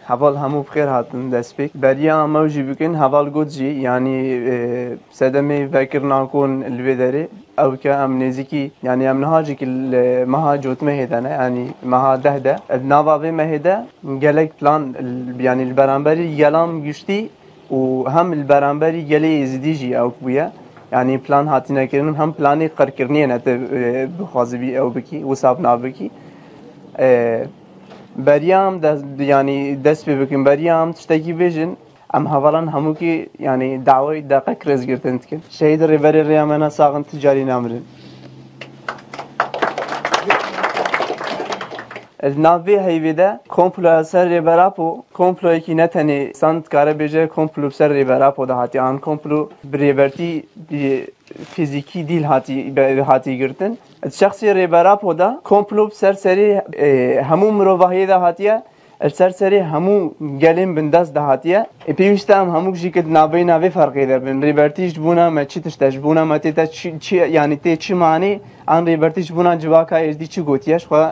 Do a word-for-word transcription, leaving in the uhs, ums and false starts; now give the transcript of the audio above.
Heval hemû bi xêr hatin destpêk. Beriya em ew jî bikin, heval got jî, yanî, e, sedemê vekirina kon li vê derê. Ew ke em nêzîkî, yanî em niha jî ki li meha cotmehê de ne, yanî meha deh de. Di nava vê mehê de gelek plan, yanî li beramberî gelan giştî û hem li beramberî gelê Êzidî jî ew bûye. Yanî plan hatine kirin, hem planê qirkirinê ne te, e, bixwazibî ew bikî, wisa bi nav bikî. E, Beriya em dest, yanî dest pê bikin, beriya em tiştekî bêjin, em hevalan hemûkî, yanî dawayî deqek rêzgirtin dikin. Şehîd Rêberê Rêya me ne sax in, tu carî namirin. Li nav vê heyvê de komploya ser Rêber Apo, komployekî ne tenê san dikare bêje komplo bi ser Rêber Apo de hatiye. An komplo bi rêbertî, bi fîzîkî dîl hatî, be-, hatî girtin. Di şexsê Rêber Apo de komplo bi ser serê, e, hemû mirovahiyê de hatiye, li ser serê hemû gelên bindest de hatiye. E, pêwîst e em hemûk jî ki di navbeyna vê ferqê de bin. Rêbertî ji bona me çi tişt e, ji bona me tê te çi, çi, yanî tê çi manî, an rêbertî ji bona civaka Êzdî çi gotiye, ji xwe